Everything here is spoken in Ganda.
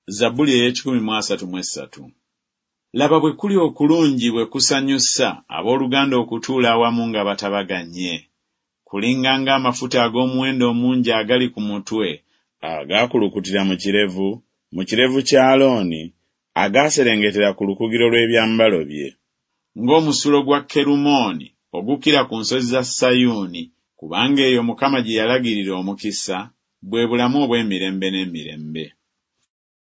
Zabbuli ey'ekikumi mu 33. Laba bwe kuli okulungi bwe kusanyusa, abooluganda okutuula awamu nga batabaganye! Kulinga ng'amafuta ag'omuwendo omungi agali ku mutwe, agaakulukutira mu kirevu, mu kirevu kya Alooni, agaaserengetera ku lukugiro lw'ebyambalo bye. Ng'omusulo gwa Kerumooni ogukkira ku nsozi za Sayuuni, kubanga eyo Mukama gye yalagirira omukisa, bwe bulamu obw'emirembe n'emirembe.